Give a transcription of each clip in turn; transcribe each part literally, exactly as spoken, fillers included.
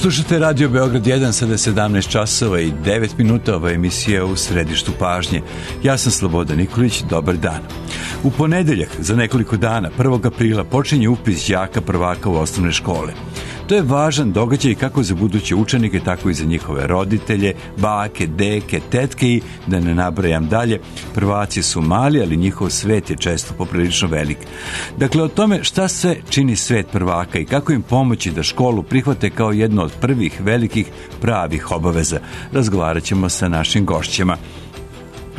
Slušate Radio Beograd jedan, sada je sedamnaest časova i devet minuta, ova emisija u središtu pažnje. Ja sam Slobodan Nikolić, dobar dan. U ponedeljak, za nekoliko dana, prvog aprila, počinje upis đaka prvaka u osnovne škole. To je važan događaj kako za buduće učenike, tako i za njihove roditelje, bake, deke, tetke i, da ne nabrajam dalje, prvaci su mali, ali njihov svet je često poprilično velik. Dakle, o tome šta sve čini svet prvaka i kako im pomoći da školu prihvate kao jedno od prvih velikih pravih obaveza, razgovarat ćemo sa našim gošćama.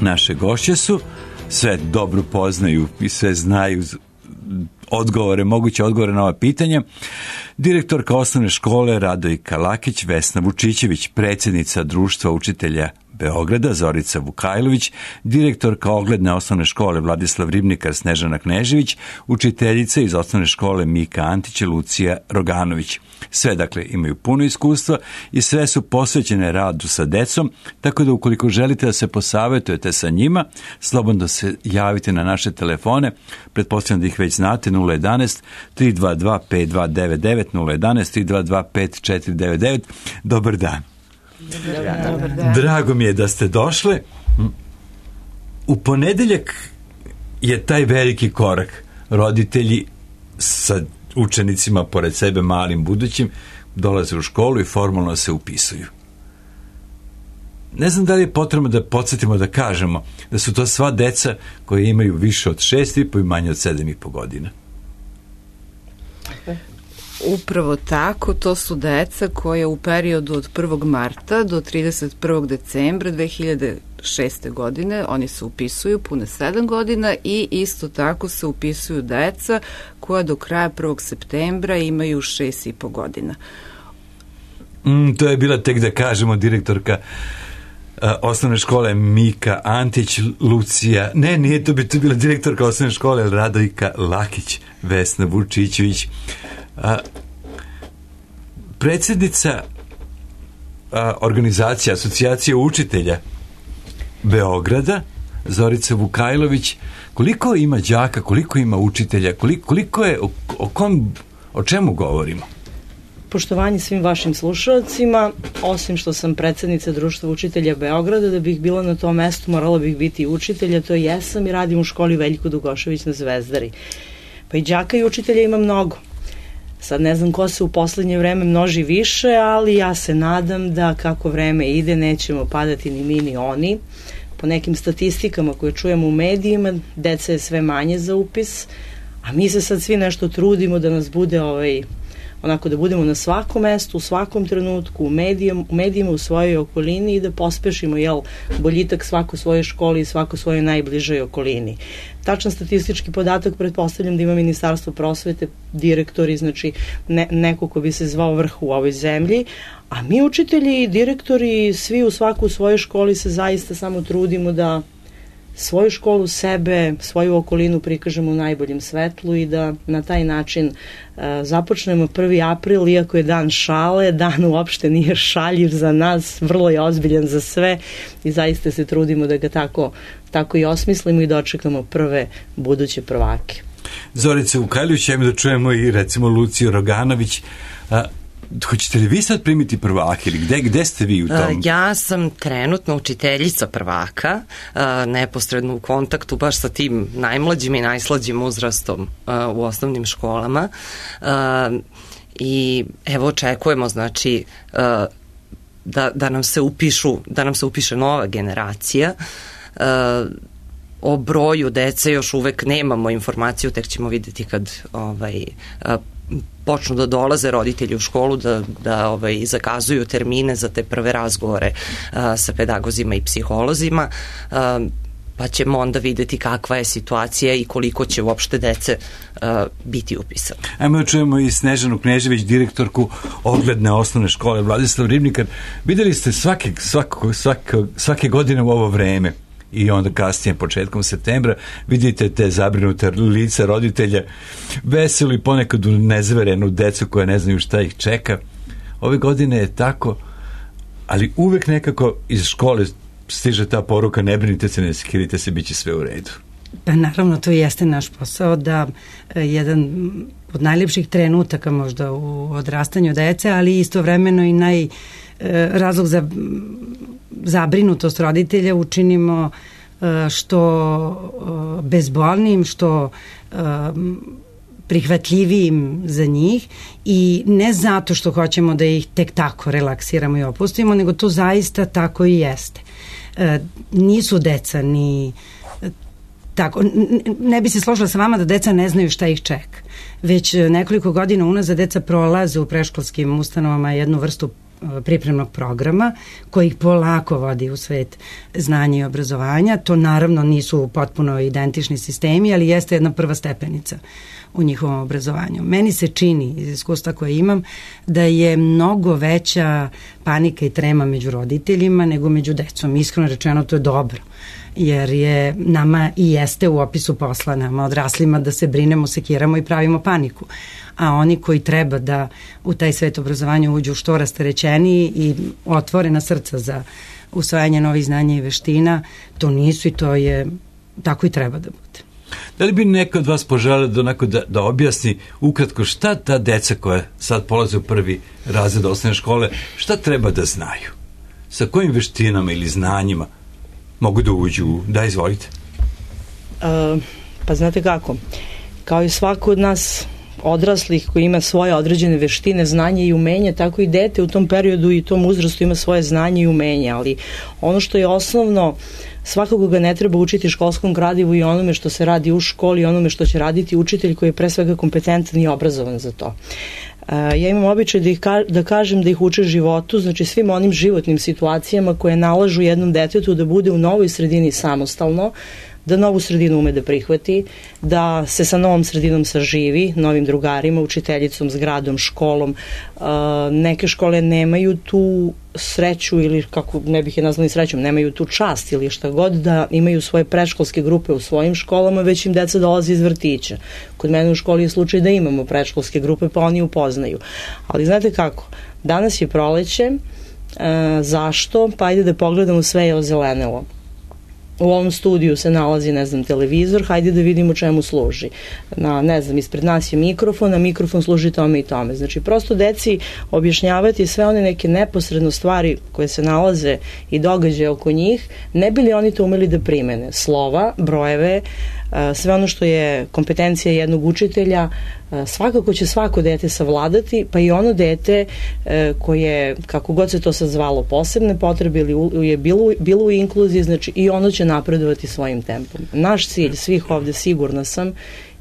Naše gošće su, sve dobro poznaju i sve znaju odgovore, moguće odgovore na ova pitanja. Direktorka osnovne škole Radojka Lakić, Vesna Vučićević, predsjednica Društva učitelja Beograda Zorica Vukajlović, direktorka ogledne osnovne škole Vladislav Ribnikar Snežana Knežević, učiteljica iz osnovne škole Mika Antić Lucija Roganović. Sve, dakle, imaju puno iskustva i sve su posvećene radu sa decom, tako da ukoliko želite da se posavetujete sa njima, slobodno se javite na naše telefone, pretpostavljam da ih već znate, nula jedanaest, tri dva dva, pet dva devet devet, nula jedanaest, tri dva dva, pet četiri devet devet. Dobar dan. Dobar dan. Dobar dan. Drago mi je da ste došle. U ponedeljak je taj veliki korak. Roditelji sa učenicima pored sebe, malim budućim, dolaze u školu i formalno se upisuju. Ne znam da li je potrebno da podsjetimo da kažemo da su to sva deca koje imaju više od šest i po i manje od sedam i po godina. Upravo tako, to su deca koja u periodu od prvog marta do trideset prvog decembra dve hiljade šeste. godine, oni se upisuju pune sedam godina i isto tako se upisuju deca koja do kraja prvog septembra imaju šest i po godina. Mm, to je bila, tek da kažemo, direktorka uh, osnovne škole Mika Antić Lucija, ne, nije to bi to bila direktorka osnovne škole Radojka Lakić, Vesna Vučićević. A, predsjednica a, organizacije Asocijacije učitelja Beograda Zorica Vukajlović, koliko ima đaka, koliko ima učitelja, koliko, koliko je, o, o, kom, o čemu govorimo? Poštovanje svim vašim slušalcima, osim što sam predsjednica Društva učitelja Beograda, da bih bila na tom mestu morala bih biti učitelja, to jesam i radim u školi Veljko Dugošević na Zvezdari. Pa i đaka i učitelja ima mnogo. Sad ne znam ko se u poslednje vreme množi više, ali ja se nadam da kako vreme ide nećemo padati ni mi ni oni. Po nekim statistikama koje čujemo u medijima, deca je sve manje za upis, a mi se sad svi nešto trudimo da nas bude ovaj, onako da budemo na svakom mestu, u svakom trenutku, u, medijom, u medijima, u svojoj okolini i da pospešimo jel, boljitak svako svoje školi i svako svojoj najbližoj okolini. Tačan statistički podatak pretpostavljam da ima Ministarstvo prosvete, direktori, znači ne, neko ko bi se zvao vrh u ovoj zemlji, a mi učitelji i direktori svi u svaku svojoj školi se zaista samo trudimo da svoju školu, sebe, svoju okolinu prikažemo u najboljem svetlu i da na taj način uh, započnemo prvi april, iako je dan šale, dan uopšte nije šaljiv za nas, vrlo je ozbiljan za sve i zaista se trudimo da ga tako, tako i osmislimo i dočekamo prve buduće prvake. Zorica Vukajlović, ajmo da čujemo i recimo Luciju Roganović. A, hoćete li vi sad primiti prvake ili gde, gde ste vi u tom? Ja sam trenutno učiteljica prvaka, neposredno u kontaktu baš sa tim najmlađim i najslađim uzrastom u osnovnim školama i evo očekujemo znači da, da nam se upišu, da nam se upiše nova generacija. O broju dece još uvek nemamo informaciju, tek ćemo videti kad ovaj počnu da dolaze roditelji u školu, da, da ovaj, zakazuju termine za te prve razgovore a, sa pedagozima i psiholozima, a, pa ćemo onda videti kakva je situacija i koliko će uopšte dece a, biti upisane. Ajmo da čujemo i Snežanu Knežević, direktorku ogledne osnovne škole Vladislav Ribnikar. Videli ste svake, svako, svako, svake godine u ovo vreme i onda kasnije, početkom septembra, vidite te zabrinute lica roditelja, veseli ponekad u nezverenu decu koja ne znaju šta ih čeka. Ove godine je tako, ali uvek nekako iz škole stiže ta poruka: ne brinite se, ne skirite se, bit će sve u redu. Pa naravno, to jeste naš posao, da jedan od najlepših trenutaka možda u odrastanju dece, ali istovremeno i naj razlog za zabrinutost roditelja učinimo što bezbolnim, što prihvatljivijim za njih, i ne zato što hoćemo da ih tek tako relaksiramo i opustimo, nego to zaista tako i jeste. Nisu deca ni tako, ne bi se složila sa vama da deca ne znaju šta ih čeka. Već nekoliko godina unazad deca prolaze u predškolskim ustanovama jednu vrstu pripremnog programa koji ih polako vodi u svet znanja i obrazovanja. To naravno nisu potpuno identični sistemi, ali jeste jedna prva stepenica u njihovom obrazovanju. Meni se čini, iz iskustva koje imam, da je mnogo veća panika i trema među roditeljima nego među decom. Iskreno rečeno, to je dobro, jer je nama i jeste u opisu posla, nama odraslima, da se brinemo, sekiramo i pravimo paniku. A oni koji treba da u taj svet obrazovanja uđu što rasterećeniji i otvorena srca za usvajanje novih znanja i veština, to nisu, i to je tako i treba da bude. Da li bi neko od vas poželeo da, onako da, da objasni ukratko šta ta deca koja sad polaze u prvi razred osnovne škole, šta treba da znaju? Sa kojim veštinama ili znanjima mogu da uđu? Da, izvolite. Uh, pa znate kako, kao i svako od nas odraslih koji ima svoje određene veštine, znanje i umenje, tako i dete u tom periodu i tom uzrastu ima svoje znanje i umenje, ali ono što je osnovno, svakako ga ne treba učiti školskom gradivu i onome što se radi u školi i onome što će raditi učitelj koji je pre svega kompetentan i obrazovan za to. Ja imam običaj da, ih ka, da kažem da ih uče životu, znači svim onim životnim situacijama koje nalažu jednom detetu da bude u novoj sredini samostalno, da novu sredinu ume da prihvati, da se sa novom sredinom saživi, novim drugarima, učiteljicom, zgradom, školom. Neke škole nemaju tu sreću, ili kako ne bih je nazvali srećom, nemaju tu čast ili šta god, da imaju svoje predškolske grupe u svojim školama, već im deca dolaze iz vrtića. Kod mene u školi je slučaj da imamo predškolske grupe, pa oni upoznaju. Ali znate kako, danas je proleće, zašto? Pa ajde da pogledamo, sve je ozelenelo. U ovom studiju se nalazi, ne znam, televizor, hajde da vidimo čemu služi. Na, ne znam, ispred nas je mikrofon, a mikrofon služi tome i tome. Znači, prosto deci objašnjavati sve one neke neposredno stvari koje se nalaze i događaje oko njih, ne bi li oni to umeli da primene. Slova, brojeve, sve ono što je kompetencija jednog učitelja, svakako će svako dete savladati, pa i ono dete koje, kako god se to sad zvalo, posebne potrebe ili je bilo, bilo u inkluziji, znači i ono će napredovati svojim tempom. Naš cilj svih ovde, sigurna sam,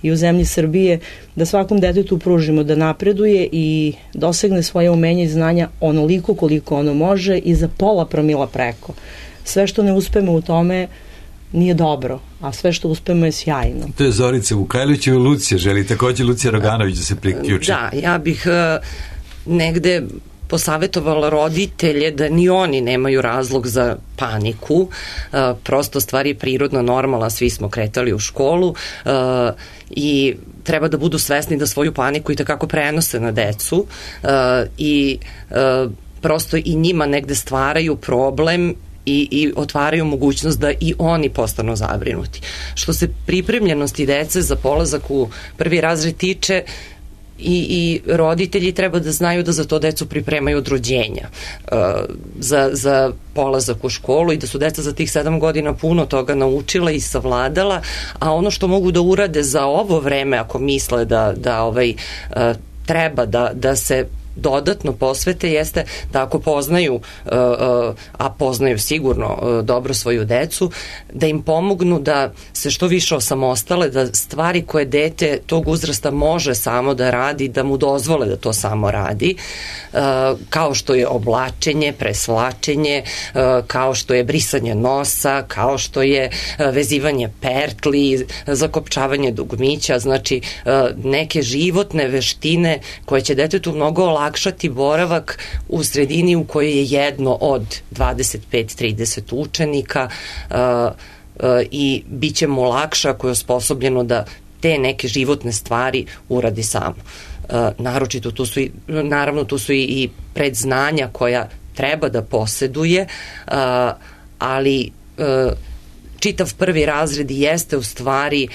i u zemlji Srbije, da svakom detetu pružimo da napreduje i dosegne svoje umenje i znanja onoliko koliko ono može i za pola promila preko. Sve što ne uspemo u tome nije dobro, a sve što uspemo je sjajno. To je Zorica Vukajlović i Lucija. Želi takođe Lucija Roganović da se priključi. Da, ja bih uh, negde posavetovala roditelje da ni oni nemaju razlog za paniku, uh, prosto stvar je prirodna, normalna, svi smo kretali u školu uh, i treba da budu svesni da svoju paniku i takako prenose na decu uh, i uh, prosto i njima negde stvaraju problem I, i otvaraju mogućnost da i oni postanu zabrinuti. Što se pripremljenosti dece za polazak u prvi razred tiče, i, i roditelji treba da znaju da za to decu pripremaju od rođenja uh, za, za polazak u školu i da su deca za tih sedam godina puno toga naučila i savladala, a ono što mogu da urade za ovo vreme, ako misle da, da ovaj, uh, treba da, da se dodatno posvete, jeste da ako poznaju, a poznaju sigurno dobro svoju decu, da im pomognu da se što više osamostale, da stvari koje dete tog uzrasta može samo da radi, da mu dozvole da to samo radi, kao što je oblačenje, presvlačenje, kao što je brisanje nosa, kao što je vezivanje pertli, zakopčavanje dugmića, znači neke životne veštine koje će detetu mnogo olakšati boravak u sredini u kojoj je jedno od dvadeset pet do trideset učenika uh, uh, i bit će mu lakše ako je osposobljeno da te neke životne stvari uradi samo. Uh, naročito tu su i, naravno tu su i, i predznanja koja treba da poseduje, uh, ali uh, čitav prvi razred jeste u stvari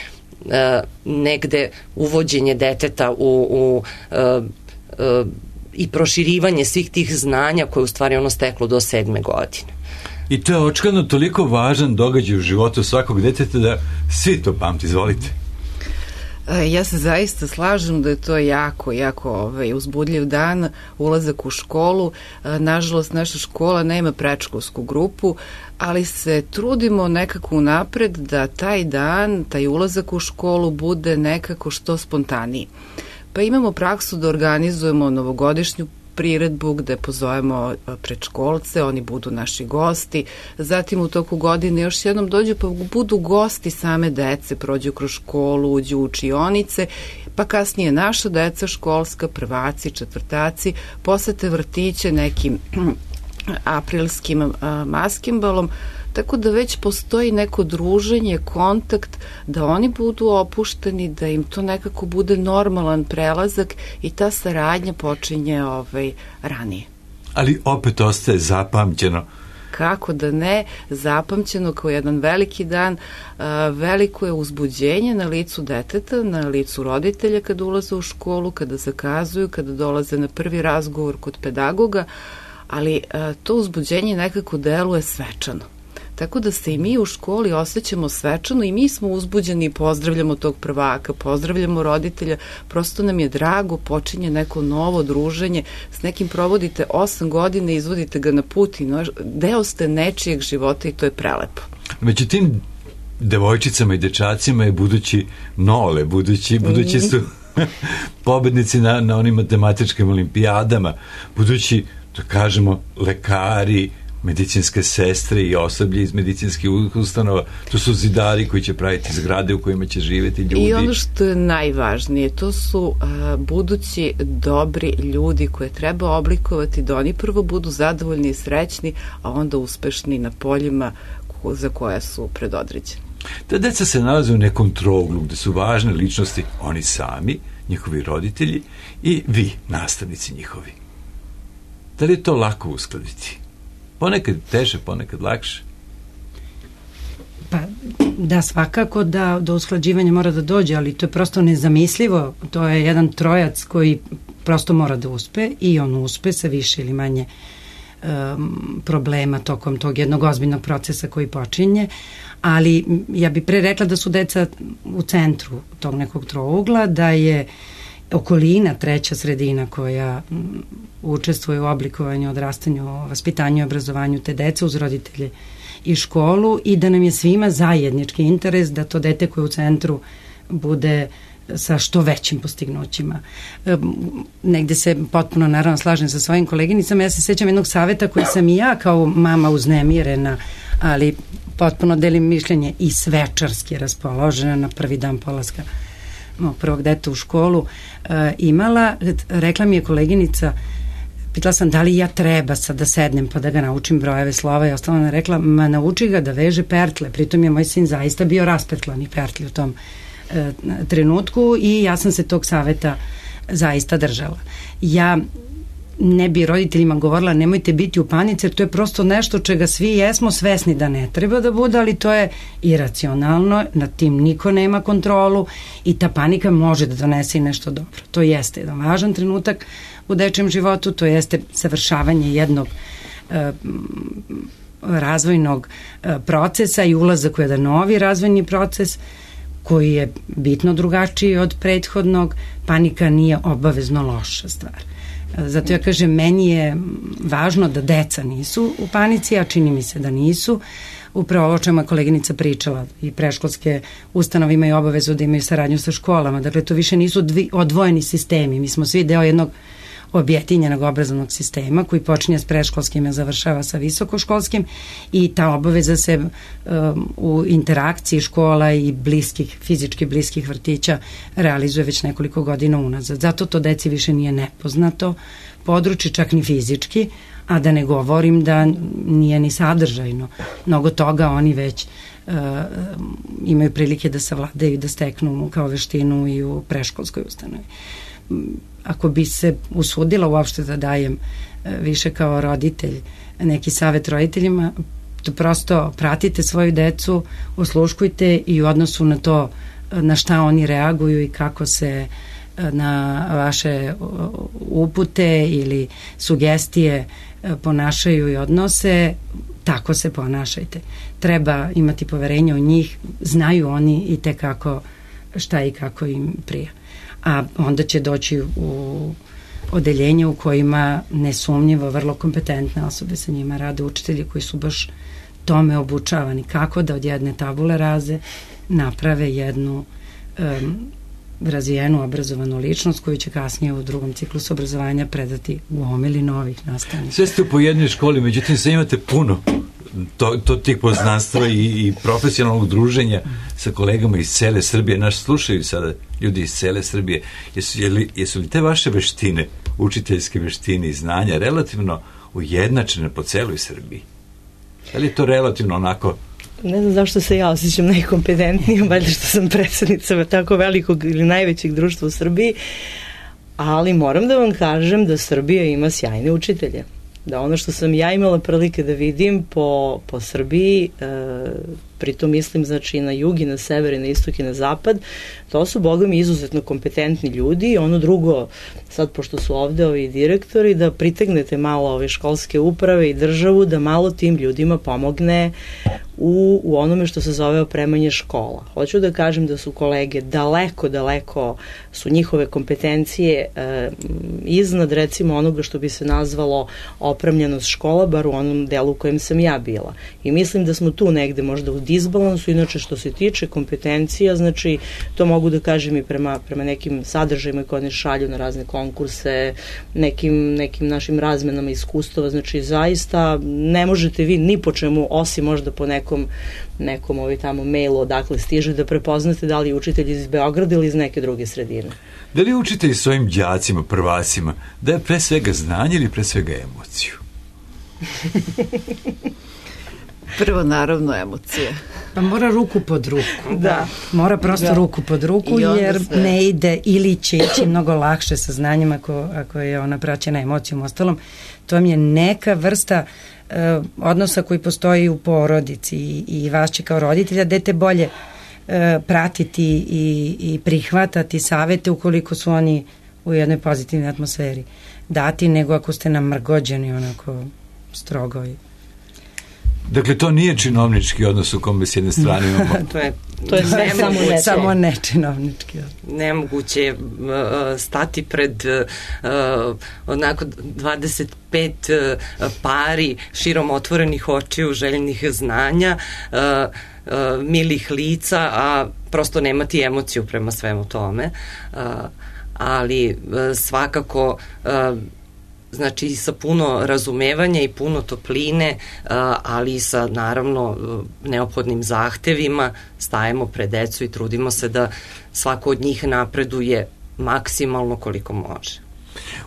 e, negde uvođenje deteta u, u e, e, i proširivanje svih tih znanja koje u stvari ono steklo do sedme godine. I to je očigledno toliko važan događaj u životu svakog deteta da svi to pamti. Izvolite. Ja se zaista slažem da je to jako, jako ovaj, uzbudljiv dan, ulazak u školu. Nažalost, naša škola nema predškolsku grupu, ali se trudimo nekako unapred da taj dan, taj ulazak u školu bude nekako što spontaniji. Pa imamo praksu da organizujemo novogodišnju priredbu gde pozovemo predškolce, oni budu naši gosti, zatim u toku godine još jednom dođu pa budu gosti same dece, prođu kroz školu, uđu u učionice, pa kasnije naša deca školska, prvaci, četvrtaci, posete vrtiće nekim aprilskim maskimbalom, tako da već postoji neko druženje, kontakt, da oni budu opušteni, da im to nekako bude normalan prelazak i ta saradnja počinje ovaj, ranije. Ali opet ostaje zapamćeno. Kako da ne, zapamćeno kao jedan veliki dan, veliko je uzbuđenje na licu deteta, na licu roditelja kada ulaze u školu, kada zakazuju, kada dolaze na prvi razgovor kod pedagoga, ali to uzbuđenje nekako deluje svečano. Tako da se i mi u školi osjećamo svečano i mi smo uzbuđeni i pozdravljamo tog prvaka, pozdravljamo roditelja, prosto nam je drago, počinje neko novo druženje, s nekim provodite osam godina i izvodite ga na put i no, deo ste nečijeg života i to je prelepo. Među tim devojčicama i dečacima je budući Nole, budući, budući su pobednici na, na onim matematičkim olimpijadama, budući, da kažemo, lekari, medicinske sestre i osoblje iz medicinskih ustanova, to su zidari koji će praviti zgrade u kojima će živeti ljudi. I ono što je najvažnije, to su uh, budući dobri ljudi koje treba oblikovati da oni prvo budu zadovoljni i srećni, a onda uspešni na poljima ko, za koja su predodređeni. Ta deca se nalaze u nekom trouglu gde su važne ličnosti oni sami, njihovi roditelji i vi, nastavnici njihovi. Da li je to lako uskladiti? Ponekad teže, ponekad lakše. Pa da, svakako da do usklađivanja mora da dođe, ali to je prosto nezamislivo. To je jedan trojac koji prosto mora da uspe i on uspe sa više ili manje um, problema tokom tog jednog ozbiljnog procesa koji počinje, ali ja bih pre rekla da su deca u centru tog nekog trougla, da je okolina, treća sredina koja učestvuje u oblikovanju, odrastanju, vaspitanju i obrazovanju te dece uz roditelje i školu i da nam je svima zajednički interes da to dete koje u centru bude sa što većim postignućima. E, negde se potpuno naravno slažem sa svojim koleginicama. Ja se sećam jednog saveta koji sam i ja kao mama uznemirena, ali potpuno delim mišljenje i svečarski raspoložena na prvi dan polaska mog prvog deta u školu e, imala. Rekla mi je koleginica, pitala sam da li ja treba sad da sednem pa da ga naučim brojeve slova i ostalo ona rekla, ma nauči ga da veže pertle. Pritom je moj sin zaista bio raspetlani pertli u tom e, trenutku i ja sam se tog saveta zaista držala. Ja ne bi roditeljima govorila nemojte biti u panici jer to je prosto nešto čega svi jesmo svesni da ne treba da bude, ali to je iracionalno, nad tim niko nema kontrolu i ta panika može da donese i nešto dobro. To jeste jedan važan trenutak u dečijem životu, to jeste savršavanje jednog e, razvojnog e, procesa i ulazak u jedan novi razvojni proces koji je bitno drugačiji od prethodnog. Panika nije obavezno loša stvar. Zato ja kažem, meni je važno da deca nisu u panici, a čini mi se da nisu. Upravo ovo čemu je koleginica pričala i preškolske ustanove imaju obavezu da imaju saradnju sa školama. Dakle, to više nisu dvi, odvojeni sistemi. Mi smo svi deo jednog objedinjenog obrazovnog sistema koji počinje s preškolskim i završava sa visokoškolskim i ta obaveza se um, u interakciji škola i bliskih, fizički bliskih vrtića realizuje već nekoliko godina unazad. Zato to deci više nije nepoznato područje, čak ni fizički, a da ne govorim da nije ni sadržajno. Mnogo toga oni već uh, imaju prilike da savladaju i da steknu kao veštinu i u preškolskoj ustanovi. Ako bi se usudila uopšte da dajem više kao roditelj neki savet roditeljima, to prosto pratite svoju decu, osluškujte i u odnosu na to na šta oni reaguju i kako se na vaše upute ili sugestije ponašaju i odnose, tako se ponašajte. Treba imati poverenje u njih, znaju oni i te kako šta i kako im prija. A onda će doći u odeljenje u kojima nesumnjivo vrlo kompetentne osobe sa njima rade, učitelji koji su baš tome obučavani, kako da od jedne tabule raze naprave jednu um, razvijenu obrazovanu ličnost koju će kasnije u drugom ciklusu obrazovanja predati u omili novih nastavnika. Sve ste po jednoj školi, međutim sve imate puno to, to tih poznanstva i, i profesionalnog druženja sa kolegama iz cele Srbije. Naš slušaju sada ljudi iz cele Srbije. Jesu, jeli, jesu li te vaše veštine, učiteljske veštine i znanja relativno ujednačene po celoj Srbiji? Je li to relativno onako? Ne znam zašto se ja osjećam najkompetentnijom, valjda što sam predsednica tako velikog ili najvećeg društva u Srbiji, ali moram da vam kažem da Srbija ima sjajne učitelje. Da ono što sam ja imala prilike da vidim po, po Srbiji, e, pritom mislim znači na jug i na sever i na istok i na zapad, to su boga mi izuzetno kompetentni ljudi i ono drugo, sad pošto su ovde ovi direktori, da pritegnete malo ove školske uprave i državu, da malo tim ljudima pomogne u, u onome što se zove opremanje škola. Hoću da kažem da su kolege daleko, daleko su njihove kompetencije e, iznad recimo onoga što bi se nazvalo opremljenost škola, bar u onom delu u kojem sam ja bila. I mislim da smo tu negde možda u disbalansu, inače što se tiče kompetencija, znači to mogu da kažem i prema, prema nekim sadržajima koje oni šalju na razne konkurse, nekim, nekim našim razmenama iskustava, znači zaista ne možete vi ni po čemu, osim možda po nekom, nekom ovi tamo mailu odakle stiže, da prepoznate da li je učitelj iz Beograda ili iz neke druge sredine. Da li učitelj svojim đacima, prvacima, da je pre svega znanje ili pre svega emociju? Prvo, naravno, emocije. Pa mora ruku pod ruku. Da. Mora prosto da. ruku pod ruku, jer sve ne ide ili će ići mnogo lakše sa znanjem ako, ako je ona praćena emocijom. Ostalom, to vam je neka vrsta uh, odnosa koji postoji u porodici i, i vas će kao roditelja dete bolje uh, pratiti i, i prihvatati savete ukoliko su oni u jednoj pozitivnoj atmosferi dati, nego ako ste namrgođeni onako strogo i dakle, to nije činovnički odnos u kome s jedne strane imamo. to je, to je sve samo ne, samo ne činovnički odnos. Nemoguće uh, stati pred uh, onako dvadeset pet uh, pari širom otvorenih očiju, željnih znanja, uh, uh, milih lica, a prosto nemati emociju prema svemu tome. Uh, ali uh, svakako uh, znači sa puno razumevanja i puno topline, ali i sa naravno neophodnim zahtevima stajemo pred decu i trudimo se da svako od njih napreduje maksimalno koliko može.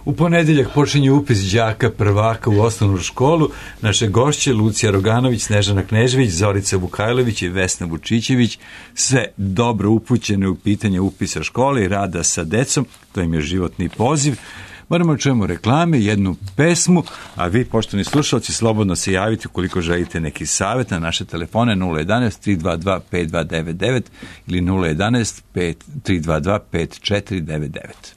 U ponedeljak počinje upis đaka prvaka u osnovnu školu. Naše gošće Lucija Roganović, Snežana Knežević, Zorica Vukajlović i Vesna Vučićević, sve dobro upućene u pitanje upisa škole i rada sa decom. To im je životni poziv. Moramo čujemo reklame, jednu pesmu, a vi, poštovani slušalci, slobodno se javite ukoliko želite neki savjet na naše telefone nula jedanaest tri dva dva pet dva devet devet ili nula jedanaest tri dva dva pet četiri devet devet.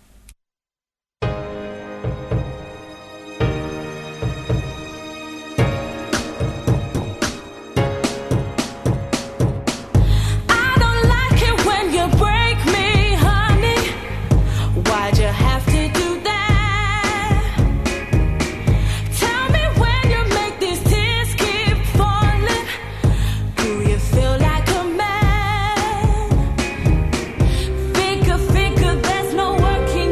Working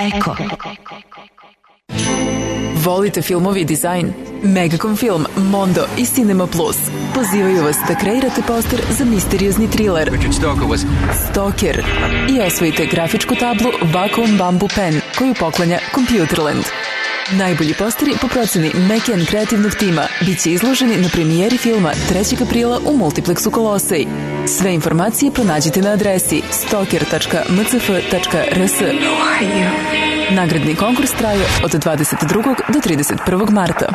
Eko. Volite filmovi i dizajn? Megacom Film, Mondo i Cinema Plus pozivaju vas da kreirate poster za misteriozni thriller Stalker i osvojite grafičku tablu Wacom Bamboo Pen koju poklanja Computerland. Najbolji posteri po proceni Mekian kreativnog tima bit će izloženi na premijeri filma trećeg aprila u Multiplexu Kolosej. Sve informacije pronađite na adresi stalker tačka m c f tačka r s. Nagradni konkurs traje od dvadeset drugog do trideset prvog marta.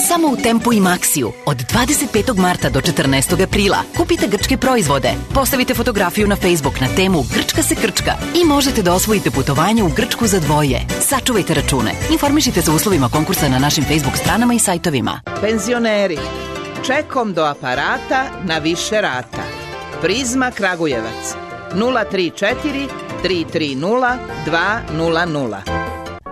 Samo u Tempu i Maxiju od dvadeset petog marta do četrnaestog aprila kupite grčke proizvode, postavite fotografiju na Facebook na temu Grčka se krčka i možete da osvojite putovanje u Grčku za dvoje. Sačuvajte račune. Informišite se o uslovima konkursa na našim Facebook stranama i sajtovima. Penzioneri, čekom do aparata na više rata. Prizma Kragujevac nula tri četiri tri tri nula dva nula nula.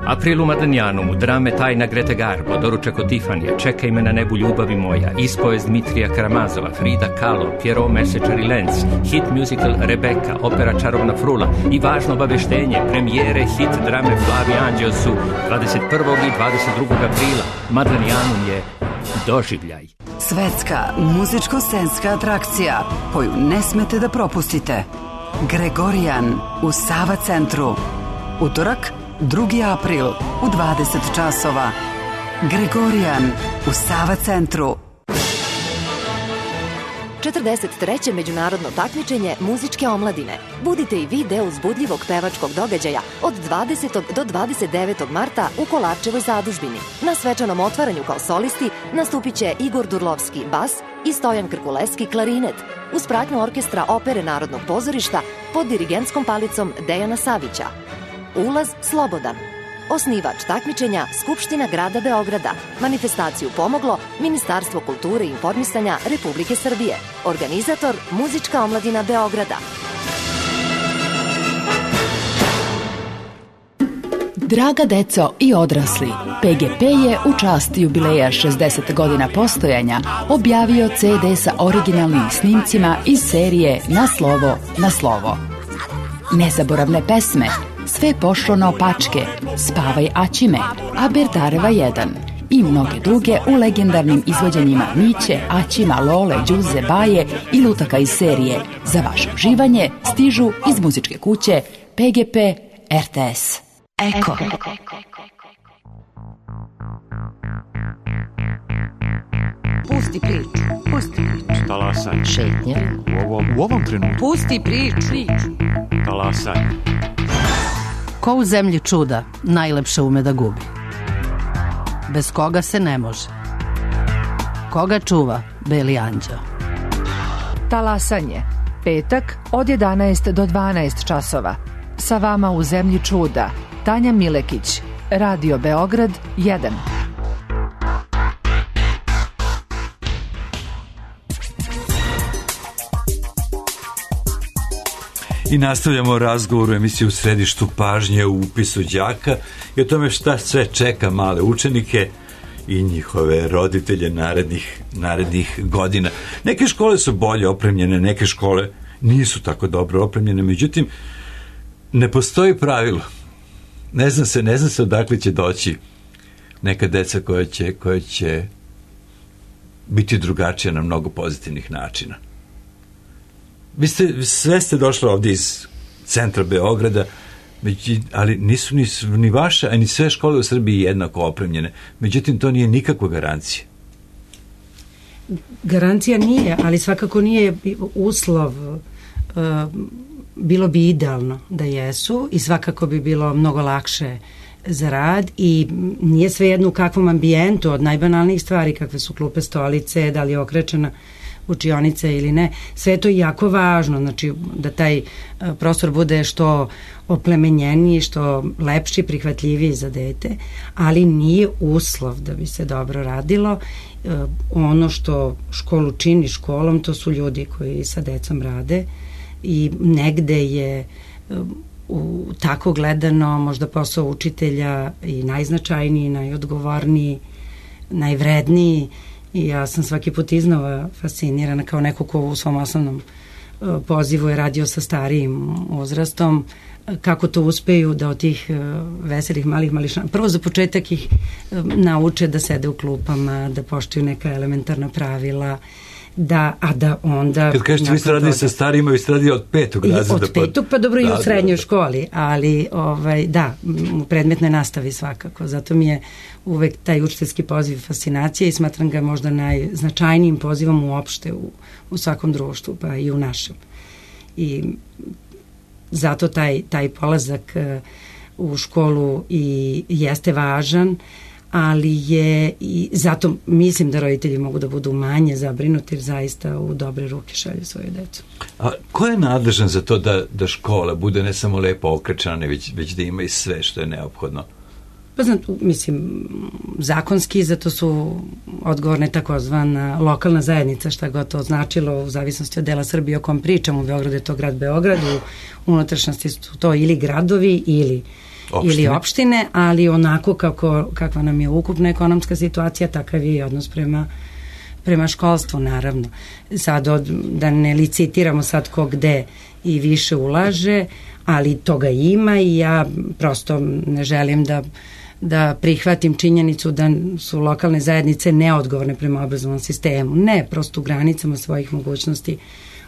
April u Madanjanu, drame Tajna Grete Garbo, doručak od Tifanija, Čekaj me na nebu ljubavi moja, ispovest Dmitrija Karamazova, Frida Kahlo, Pierrot Mesečar i Lenz, hit musical Rebeka, opera Čarobna frula i važno obaveštenje, premijere hit drame Flavi Anđeo su dvadeset prvog i dvadeset drugog aprila. Madanjanum je doživljaj. Svetska muzičko-scenska atrakcija koju ne smete da propustite. Gregorijan u Sava centru. Utorak, drugi april u dvadeset časova. Gregorijan u Sava centru. četrdeset treće međunarodno takmičenje muzičke omladine. Budite i vi deo uzbudljivog pevačkog događaja od dvadesetog do dvadeset devetog marta u Kolarčevoj zadužbini. Na svečanom otvaranju kao solisti nastupit će Igor Durlovski bas i Stojan Krkuleski klarinet uz pratnju orkestra Opere Narodnog pozorišta pod dirigentskom palicom Dejana Savića. Ulaz slobodan. Osnivač takmičenja Skupština grada Beograda. Manifestaciju pomoglo Ministarstvo kulture i informisanja Republike Srbije. Organizator Muzička omladina Beograda. Draga deco i odrasli, P G P je u čast jubileja šezdeset godina postojanja objavio C D sa originalnim snimcima iz serije Na slovo, na slovo. Nezaboravne pesme Sve pošlo naopačke, Spavaj Aćime, Aberdareva jedan i mnoge druge u legendarnim izvođenjima Miće, Aćima, Lole, Đuze, Baje i lutaka iz serije. Za vaše uživanje stižu iz muzičke kuće P G P R T S. Eko. Pusti priču, pusti priču. Talasaj. Šetnja. U ovom, u ovom trenutku. Pusti priču. Talasaj. Ko u zemlji čuda, najlepše ume da gubi. Bez koga se ne može. Koga čuva Beli anđeo? Talasanje. Petak od jedanaest do dvanaest časova. Sa vama u zemlji čuda. Tanja Milekić. Radio Beograd jedan. I nastavljamo razgovor u emisiji U središtu pažnje u upisu đaka i o tome šta sve čeka male učenike i njihove roditelje narednih, narednih godina. Neke škole su bolje opremljene, neke škole nisu tako dobro opremljene, međutim, ne postoji pravilo. Ne zna se, ne zna se odakle će doći neka deca koja će, koja će biti drugačija na mnogo pozitivnih načina. Vi ste, sve ste došli ovdje iz centra Beograda, ali nisu ni, ni vaše, a ni sve škole u Srbiji jednako opremljene. Međutim, to nije nikakva garancija. Garancija nije, ali svakako nije uslov. Bilo bi idealno da jesu i svakako bi bilo mnogo lakše za rad i nije svejedno u kakvom ambijentu, od najbanalnijih stvari kakve su klupe, stolice, da li je okrečena učionica ili ne, sve to je jako važno, znači da taj prostor bude što oplemenjeniji, što lepši, prihvatljiviji za dete, ali nije uslov da bi se dobro radilo. Ono što školu čini školom, to su ljudi koji sa decom rade i negde je u, tako gledano možda posao učitelja i najznačajniji, najodgovorniji, najvredniji. I ja sam svaki put iznova fascinirana kao neko ko u svom osnovnom pozivu je radio sa starijim uzrastom, kako to uspeju da od tih veselih malih mališana, prvo za početak ih nauče da sede u klupama, da poštuju neka elementarna pravila, da, a da onda... Kad kažete vi ste radili sa starijima, vi ste radili od petog razreda. Od petog, pa dobro, da, i u srednjoj da, školi, ali ovaj, da, u predmetnoj nastavi svakako. Zato mi je uvek taj učiteljski poziv fascinacija i smatram ga možda najznačajnijim pozivom uopšte u, u svakom društvu, pa i u našem. I zato taj, taj polazak u školu i jeste važan, ali je i zato mislim da roditelji mogu da budu manje zabrinuti jer zaista u dobre ruke šalju svoju decu. A ko je nadležan za to da, da škola bude ne samo lepo okrečana, već, već da ima i sve što je neophodno? Pa znam, mislim, zakonski za to su odgovorne takozvana lokalna zajednica, šta god to značilo u zavisnosti od dela Srbije o kom pričam. U Beogradu je to grad Beograd, u unutrašnjosti su to ili gradovi ili opštine. ili opštine, ali onako kako, kakva nam je ukupna ekonomska situacija, takav je i odnos prema, prema školstvu, naravno. Sad, od, da ne licitiramo sad ko gde i više ulaže, ali toga ima i ja prosto ne želim da da prihvatim činjenicu da su lokalne zajednice neodgovorne prema obrazovnom sistemu. Ne, prosto u granicama svojih mogućnosti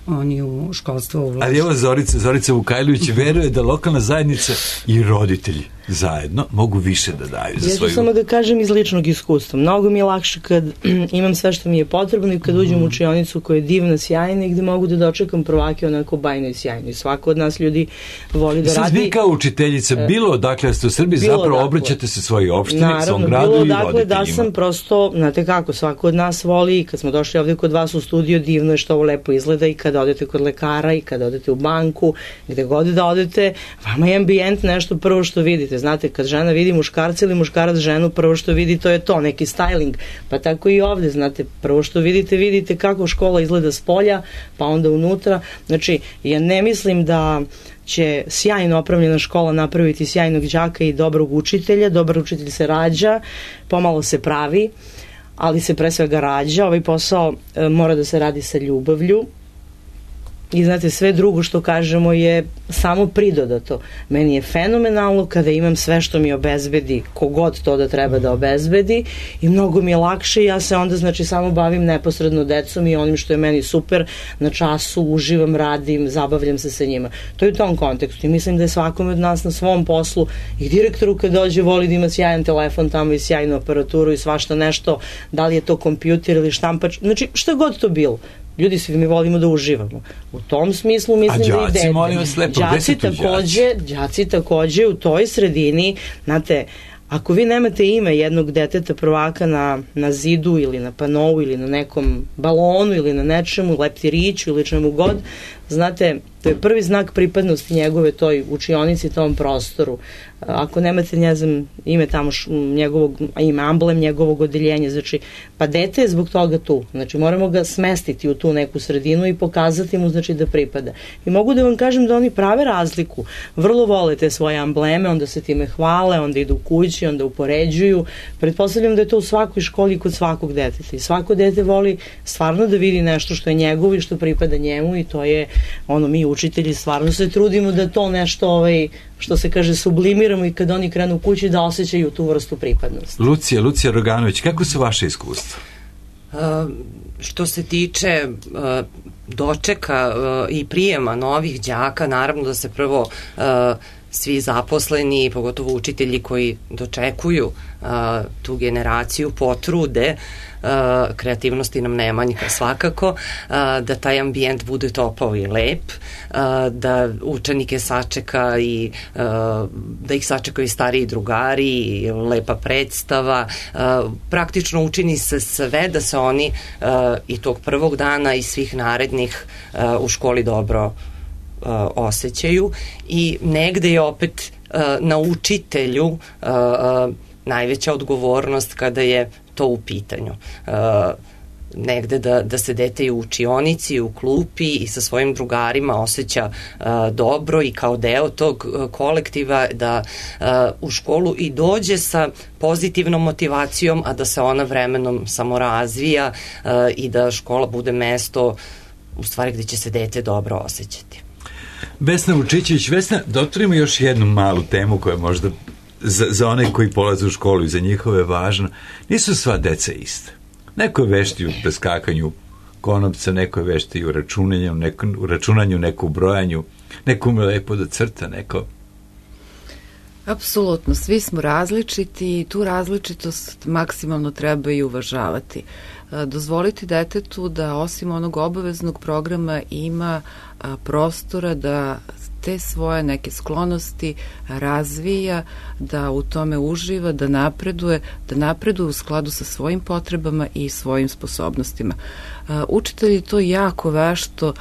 oni u školstvo ulažu. Ali evo Zorica, Zorica Vukajlović veruje da lokalna zajednica i roditelji zajedno mogu više da daju za svoju... Ja ću samo da kažem iz ličnog iskustva. Mnogo mi je lakše kad imam sve što mi je potrebno i kad uđem u učionicu koja je divna, sjajna i gde mogu da dočekam prvake onako bajno i sjajno. I svako od nas ljudi voli da radi... Sad vi kao učiteljica, bilo odakle ste u Srbiji, zapravo dakle, obraćate se svojoj opštini, naravno, svom gradu i roditeljima. Naravno, da sam prosto, znate kako, svako od nas voli i kad smo došli ovde kod vas u studio, divno je što ovo lepo izgleda i kad odete kod lekara i kad odete u banku, gde god da odete, vama je ambijent nešto prvo što vidite. Znate, kad žena vidi muškarca ili muškarac ženu, prvo što vidi to je to, neki styling. Pa tako i ovde, znate, prvo što vidite, vidite kako škola izgleda s polja, pa onda unutra. Znači, ja ne mislim da će sjajno opravljena škola napraviti sjajnog đaka i dobrog učitelja. Dobar učitelj se rađa, pomalo se pravi, ali se pre svega rađa. Ovaj posao e, mora da se radi sa ljubavlju. I znate, sve drugo što kažemo je samo pridodato. Meni je fenomenalno kada imam sve što mi obezbedi, kogod to da treba da obezbedi i mnogo mi je lakše i ja se onda znači samo bavim neposredno decom i onim što je meni super, na času uživam, radim, zabavljam se sa njima. To je u tom kontekstu i mislim da je svakome od nas na svom poslu i direktoru kad dođe voli da ima sjajan telefon tamo i sjajnu aparaturu i svašta nešto, da li je to kompjuter ili štampač, znači šta god to bilo. Ljudi, svi mi volimo da uživamo. U tom smislu mislim da ide. A đaci, molim vas lepo, gde su tu đaci? Đaci takođe u toj sredini, znate, ako vi nemate ime jednog deteta prvaka na, na zidu ili na panovu ili na nekom balonu ili na nečemu, leptiriću ili čemu god, znate, to je prvi znak pripadnosti njegove toj učionici, tom prostoru. Ako nemate, ne znam, ime tamo š, njegovog, ime, amblem njegovog odeljenja, znači, pa dete je zbog toga tu. Znači, moramo ga smestiti u tu neku sredinu i pokazati mu, znači, da pripada. I mogu da vam kažem da oni prave razliku. Vrlo vole te svoje ambleme, onda se time hvale, onda idu kući, onda upoređuju. Pretpostavljam da je to u svakoj školi kod svakog deteta. I svako dete voli stvarno da vidi nešto što je njegovo i što pripada njemu i to je ono, mi učitelji stvarno se trudimo da to nešto, ovaj, što se kaže, sublimiramo i kad oni krenu kući da osjećaju tu vrstu pripadnosti. Lucija, Lucija Roganović, kako su vaše iskustva? Uh, što se tiče uh, dočeka uh, i prijema novih đaka, naravno da se prvo uh, svi zaposleni, pogotovo učitelji koji dočekuju uh, tu generaciju, potrude, uh, kreativnosti nam ne manjka svakako, uh, da taj ambijent bude topao i lep, uh, da učenike sačeka i uh, da ih sačekaju stariji drugari, i lepa predstava, uh, praktično učini se sve da se oni uh, i tog prvog dana i svih narednih uh, u školi dobro Uh, osjećaju i negde je opet uh, na učitelju uh, uh, najveća odgovornost kada je to u pitanju. Uh, negde da, da se dete i u učionici, u klupi i sa svojim drugarima osjeća uh, dobro i kao deo tog uh, kolektiva, da uh, u školu i dođe sa pozitivnom motivacijom, a da se ona vremenom samo razvija uh, i da škola bude mesto u stvari gde će se dete dobro osjećati. Vesna Vučićević. Vesna, da otvorimo još jednu malu temu koja možda za, za one koji polaze u školu i za njihove je važno. Nisu sva deca iste. Neko je vešti u preskakanju konopca, neko je vešti u računanju, neko u računanju, neko u brojanju, neko ume lepo da crta, neko... Apsolutno, svi smo različiti i tu različitost maksimalno treba i uvažavati. Dozvoliti detetu da osim onog obaveznog programa ima prostora da te svoje neke sklonosti razvija, da u tome uživa, da napreduje, da napreduje u skladu sa svojim potrebama i svojim sposobnostima. Učitelji to jako vešto,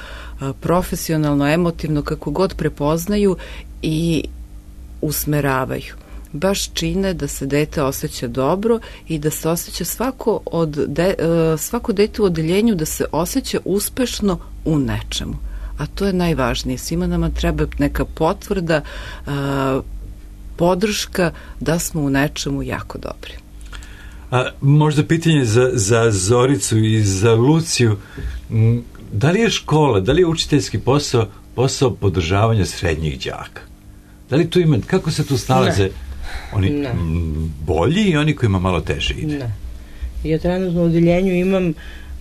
profesionalno, emotivno, kako god prepoznaju i usmeravaju. Baš čine da se dete osjeća dobro i da se osjeća svako, od de, svako dete u odeljenju da se osjeća uspešno u nečemu. A to je najvažnije. Svima nama treba neka potvrda, podrška da smo u nečemu jako dobri. A, možda pitanje za, za Zoricu i za Luciju. Da li je škola, da li je učiteljski posao posao podržavanja srednjih đaka? Da li tu ima, kako se tu snalaze? Ne. Oni ne. bolji i oni koji ima malo teže ide? Ne. Ja trenutno u odeljenju imam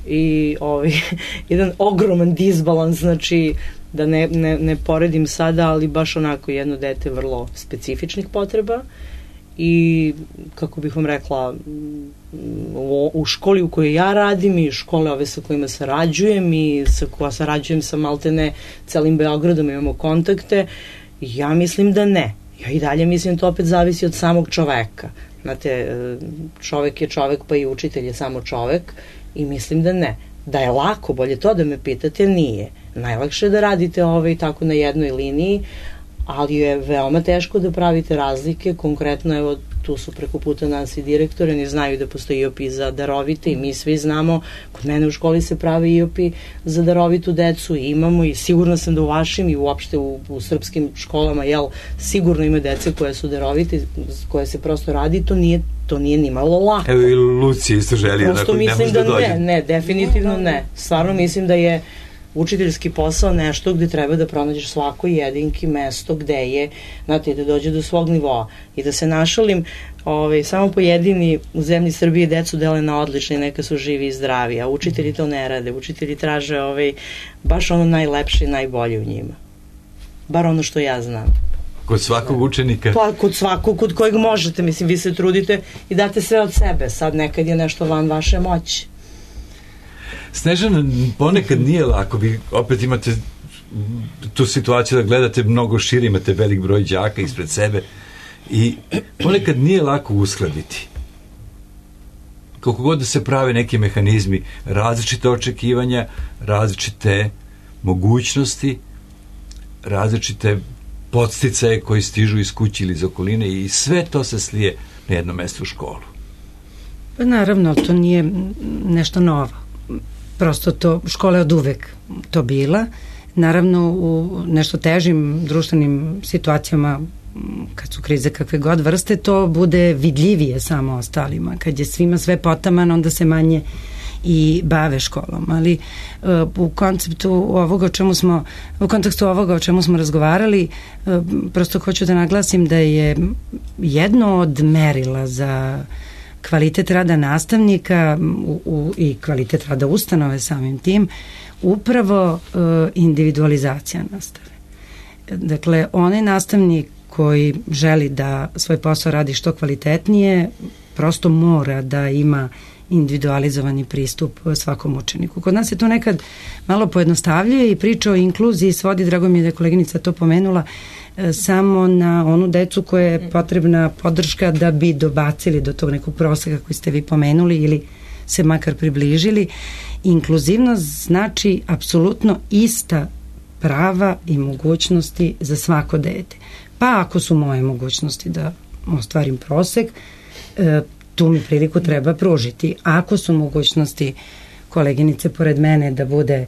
i ovaj, jedan ogroman disbalans, znači da ne, ne, ne poredim sada, ali baš onako jedno dete vrlo specifičnih potreba i kako bih vam rekla u, u školi u kojoj ja radim i škole ove sa kojima sarađujem i sa koja sarađujem sa maltene celim Beogradom, imamo kontakte. Ja mislim da ne. Ja i dalje mislim to opet zavisi od samog čoveka. Znate, čovek je čovek, pa i učitelj je samo čovek i mislim da ne. Da je lako, bolje to da me pitate, nije. Najlakše je da radite ovaj tako na jednoj liniji, ali je veoma teško da pravite razlike. Konkretno, evo, tu su preko puta nas i direktori, oni znaju da postoji I O P za darovite i mi svi znamo, kod mene u školi se pravi I O P za darovitu decu i imamo i sigurno sam da u vašim i uopšte u, u srpskim školama, jel, sigurno ima dece koje su darovite, koje se prosto radi, to nije, to nije ni malo lako. Evo i Lucija isto želi, prosto mislim da, da ne, ne, definitivno ne. Stvarno mislim da je učiteljski posao nešto gde treba da pronađeš svakoj jedinki mesto gde je, znate, da dođe do svog nivoa. I da se našalim, ovaj, samo pojedini u zemlji Srbije decu dele na odlične, neka su živi i zdravi, a učitelji to ne rade. Učitelji traže ovaj, baš ono najlepše i najbolje u njima. Bar ono što ja znam. Kod svakog učenika? Pa, kod svakog, kod kojeg možete. Mislim, vi se trudite i date sve od sebe. Sad nekad je nešto van vaše moći. Snežana, ponekad nije lako, vi opet imate tu situaciju da gledate mnogo šire, imate velik broj đaka ispred sebe i ponekad nije lako uskladiti. Koliko god da se prave neki mehanizmi, različite očekivanja, različite mogućnosti, različite podsticaje koji stižu iz kuće ili iz okoline i sve to se slije na jedno mesto u školu. Pa naravno, to nije nešto novo. Prosto to, škola je od uvek to bila. Naravno, u nešto težim društvenim situacijama, kad su krize kakve god vrste, to bude vidljivije samo ostalima. Kad je svima sve potaman, onda se manje i bave školom. Ali uh, u konceptu ovoga o čemu smo, u kontekstu ovoga o čemu smo razgovarali, uh, prosto hoću da naglasim da je jedno od merila za kvalitet rada nastavnika u, u, i kvalitet rada ustanove samim tim, upravo e, individualizacija nastave. Dakle, onaj nastavnik koji želi da svoj posao radi što kvalitetnije, prosto mora da ima individualizovani pristup svakom učeniku. Kod nas je to nekad malo pojednostavljuje i priča o inkluziji svodi, drago mi je da je koleginica to pomenula, samo na onu decu koja je potrebna podrška da bi dobacili do tog nekog proseka koji ste vi pomenuli ili se makar približili. Inkluzivnost znači apsolutno ista prava i mogućnosti za svako dete. Pa ako su moje mogućnosti da ostvarim prosek, tu mi priliku treba pružiti. Ako su mogućnosti koleginice pored mene da bude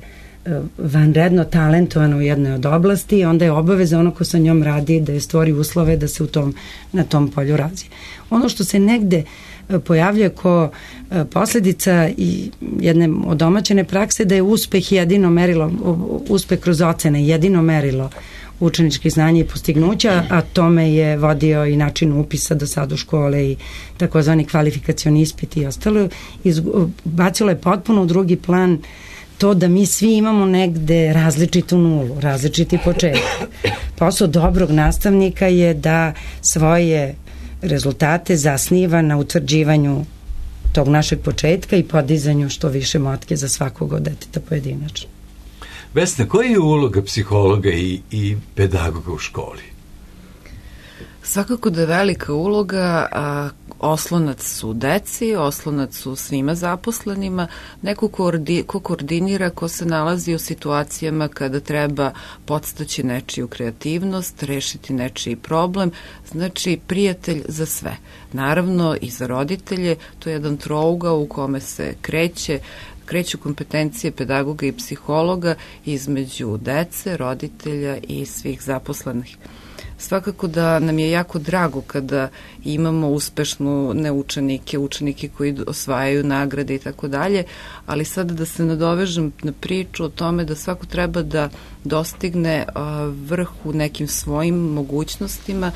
vanredno talentovano u jednoj od oblasti, onda je obaveza ono ko sa njom radi da je stvori uslove da se u tom, na tom polju razvije. Ono što se negde pojavljuje ko posledica i jedne odomaćene prakse da je uspeh jedino merilo, uspeh kroz ocene jedino merilo učeničkih znanja i postignuća, a tome je vodio i način upisa do sad u škole i takozvani kvalifikacioni ispit i ostalo. Bacilo je potpuno u drugi plan to da mi svi imamo negde različitu nulu, različiti početak. Posao dobrog nastavnika je da svoje rezultate zasniva na utvrđivanju tog našeg početka i podizanju što više motke za svakog od deteta pojedinačno. Vesna, koja je uloga psihologa i, i pedagoga u školi? Svakako da je velika uloga, a oslonac su deci, oslonac su svima zaposlenima, neko ko, ordi, ko koordinira, ko se nalazi u situacijama kada treba podstaći nečiju kreativnost, rešiti nečiji problem, znači prijatelj za sve. Naravno i za roditelje, to je jedan trougao u kome se kreće kreću kompetencije pedagoga i psihologa između dece, roditelja i svih zaposlenih. Svakako da nam je jako drago kada imamo uspešnu ne učenike, učenike koji osvajaju nagrade i tako dalje, ali sada da se nadovežem na priču o tome da svako treba da dostigne vrh u nekim svojim mogućnostima.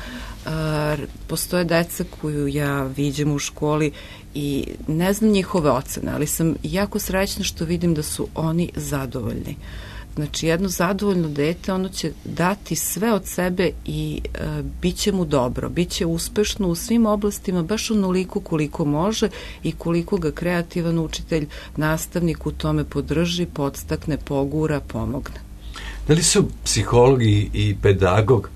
Postoje deca koju ja viđem u školi i ne znam njihove ocene, ali sam jako srećna što vidim da su oni zadovoljni. Znači, jedno zadovoljno dete, ono će dati sve od sebe i e, bit će mu dobro, bit će uspešno u svim oblastima, baš onoliko koliko može i koliko ga kreativan učitelj, nastavnik u tome podrži, podstakne, pogura, pomogne. Da li su psiholog i, i pedagog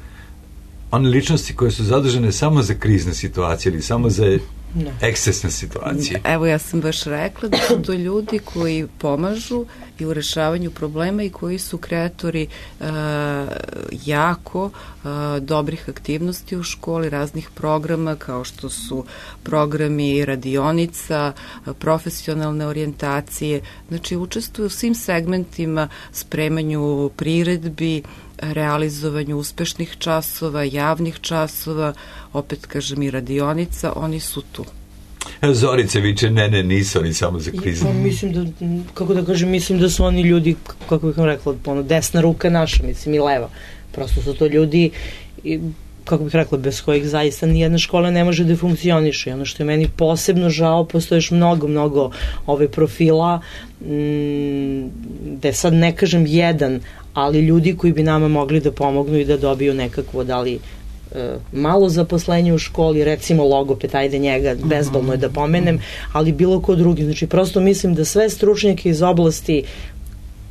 one ličnosti koje su zadužene samo za krizne situacije ili samo za no. ekscesne situacije? Evo, ja sam baš rekla da su to ljudi koji pomažu i u rešavanju problema i koji su kreatori uh, jako uh, dobrih aktivnosti u školi, raznih programa kao što su programi radionica, profesionalne orijentacije, znači učestvuju u svim segmentima, spremanju priredbi, realizovanju uspešnih časova, javnih časova, opet kažem i radionica, oni su tu. Zorice viče, ne, ne, nisu oni samo za krizu. Ja, mislim da, kako da kažem, mislim da su oni ljudi, kako bih vam rekla, ono, desna ruka naša, mislim i leva. Prosto su to ljudi, kako bih rekla, bez kojih zaista nijedna škola ne može da funkcioniše. I ono što je meni posebno žao, postoje još mnogo, mnogo ove profila, m, da sad ne kažem jedan, ali ljudi koji bi nama mogli da pomognu i da dobiju nekakvo, da li e, malo zaposlenje u školi, recimo logoped, ajde njega, bezbolno je da pomenem, ali bilo ko drugi. Znači, prosto mislim da sve stručnjake iz oblasti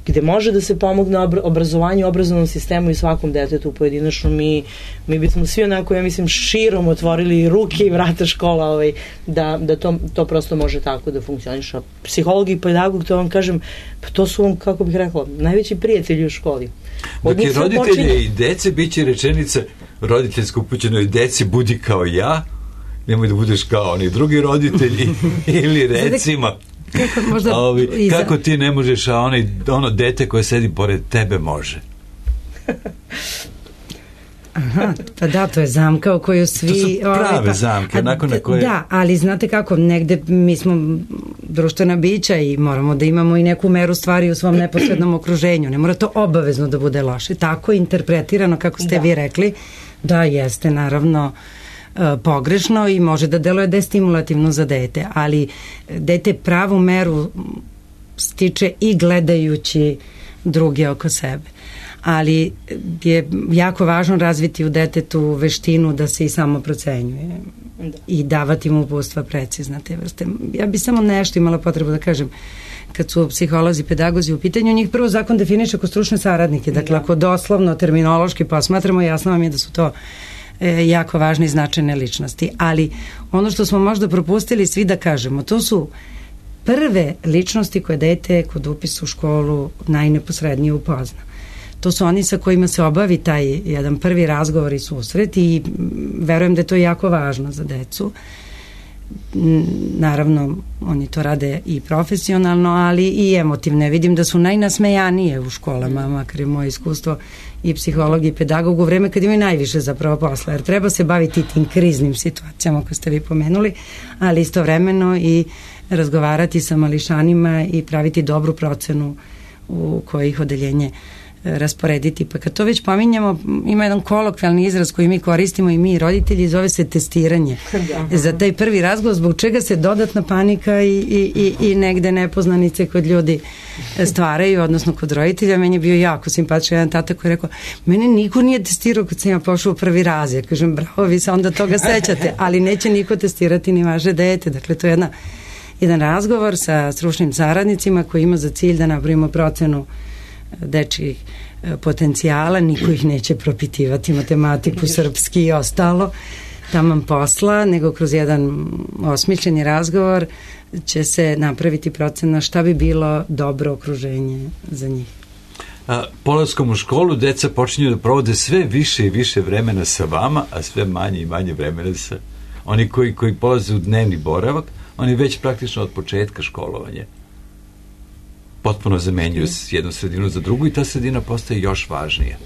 gde može da se pomogne obrazovanju, obrazovnom sistemu i svakom detetu pojedinačno, mi, mi bismo svi onako, ja mislim, širom otvorili ruke i vrata škola, ovaj, da, da to, to prosto može tako da funkcioniše. Psiholog i pedagog, to vam kažem, pa to su vam, kako bih rekla, najveći prijatelji u školi. Od dakle, roditelje počinje... i dece bit će rečenica roditeljsko upućenoj deci budi kao ja, nemoj da budeš kao oni drugi roditelji ili recimo kako, možda ovi, iza... kako ti ne možeš, a onaj, ono dete koje sedi pored tebe može. Aha, pa da, to je zamka o kojoj svi... To su prave ovaj, pa, zamke, a, nakon na koje... Da, ali znate kako, negde mi smo društvena bića i moramo da imamo i neku meru stvari u svom neposrednom okruženju. Ne mora to obavezno da bude loše. Tako interpretirano, kako ste da. vi rekli, da jeste naravno pogrešno i može da deluje destimulativno za dete, ali dete pravu meru stiče i gledajući druge oko sebe. Ali je jako važno razviti u detetu veštinu da se i samo procenjuje i davati mu uputstva precizna te vrste. Ja bi samo nešto imala potrebu da kažem kad su psiholozi, pedagozi u pitanju, njih prvo zakon definiše kao stručne saradnike, dakle ako doslovno terminološki posmatramo, jasno vam je da su to jako važne i značajne ličnosti. Ali ono što smo možda propustili svi da kažemo, to su prve ličnosti koje dete kod upisa u školu najneposrednije upozna. To su oni sa kojima se obavi taj jedan prvi razgovor i susret i verujem da je to jako važno za decu. Naravno, oni to rade i profesionalno, ali i emotivne. Vidim da su najnasmejanije u školama, makar je moje iskustvo i psiholog i pedagog u vreme kad imaju najviše zapravo posla, jer treba se baviti tim kriznim situacijama koje ste vi pomenuli, ali istovremeno i razgovarati sa mališanima i praviti dobru procenu u kojih odeljenje rasporediti. Pa kad to već pominjamo, ima jedan kolokvijalni izraz koji mi koristimo i mi roditelji, zove se testiranje. Da. Za taj prvi razgovor, zbog čega se dodatna panika i, i, i, i negde nepoznanice kod ljudi stvaraju, odnosno kod roditelja. Meni je bio jako simpatičan jedan tata koji je rekao, mene niko nije testirao kad sam ja pošao u prvi razred. Kažem, bravo, vi se onda toga sećate, ali neće niko testirati ni vaše dete. Dakle, to je jedna, jedan razgovor sa stručnim saradnicima koji ima za cilj da napravimo procenu dečjih potencijala, niko ih neće propitivati matematiku, srpski i ostalo taman posla, nego kroz jedan osmišljeni razgovor će se napraviti procena šta bi bilo dobro okruženje za njih. A, polaskom u školu deca počinju da provode sve više i više vremena sa vama, a sve manje i manje vremena sa oni koji, koji polaze u dnevni boravak, oni već praktično od početka školovanja potpuno zamenjuju s jednu sredinu za drugu i ta sredina postaje još važnija.